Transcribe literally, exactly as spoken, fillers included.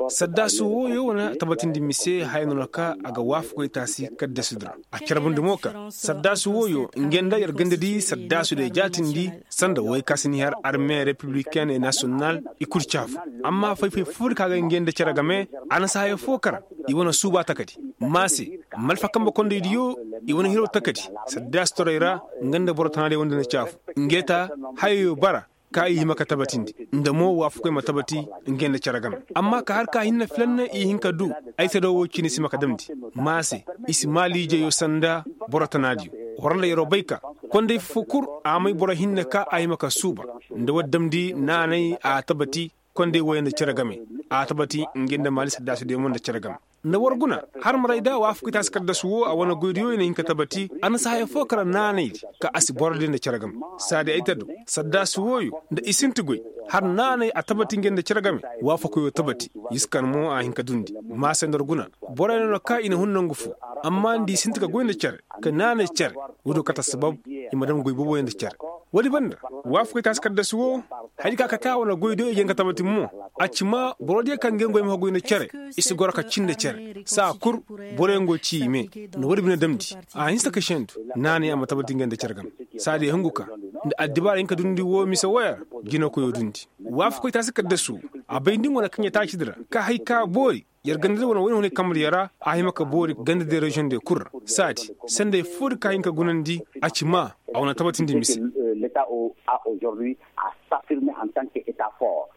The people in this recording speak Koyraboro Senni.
Saddaasi wooyo wane tabatindi mise haya no na ka a ga waafakoy taasi kaddasi di ra. A carbundi mo ka saddaasi wooyo nge nda yer ganda di saddaasi diyo jaatindi sanda woy ka si ni har arme republiken e nasiyonal i kul caafu. Amma fay-fay foo di ka ga nge nda cere game a na si haya foo kara i wane suuba takadi. Maase malfa kambe kondey diyo i wane hiro takadi saddaasi torey ra. Nga nda boro tana diyo wande na caafu nge ta hayayo bara ka i hima ka tabatindi nda mo waafakoy ma tabati nge nda cere game. Amma ka har ka hinne filanne i hin ka du ay tado wo cine si ma ka damndi. Maase i si maaliijeyo sanda boro tana diyo. War nda yeroo bay ka kondey foo kul a may boro hinne ka a hima ka suuba nda war damndi naanay a tabati kondey woy nda cere game. A tabati nge nda maali saddaasi diyo mo nda cere game. Nda war guna har maray da waafakoy taasi kaddasu woo a wane goydiyo i na hin ka tabati a na si haya foo kara naanaydi ka a si boro diyo nda cere game. Saadi ay tado saddaasi wooyo nda i sinti goy har naanay a tabati nge nda cere game. Waafakoyo tabati yiskan mo a hin ka dundi. Maase nda war guna boroyo no na ka i na hun nongu foo amma nda i sinti ka goy nda cere ka naanay cere. Woodiyo kate assabab i ma dam goy booboyo nda cere. Woodi banda waafakoy taasi kaddasu woo haya di ka kate a wane goydiyo i ga hin ka tabati mo. A ci maa boro diyo kaŋ ga hin goy ma ka goy nda cere i si goro ka cin nda cere saa kul. Boroyaŋ go ci i me nda woodi bine damndi a hinsa ka sendu naanay a ma tabati nge nda cere game. Saadi hungu ka nda addibaara hin ka dundi woo mise woya ra. Jinakoyo dundi waafakoy taasi kaddasu woo a bay nda nga wane kaŋ ya taaci di ra ka hay ka boori yer ganda di wane woy na hunay kambe diyo ra. A hima ka boori ganda diyo reziyoŋ diyo kul ra saadi sendey foo di ka hin ka gunandi a ci maa a wane tabatindi mise. Leta o a ozordi a safirme en tan ke eta for.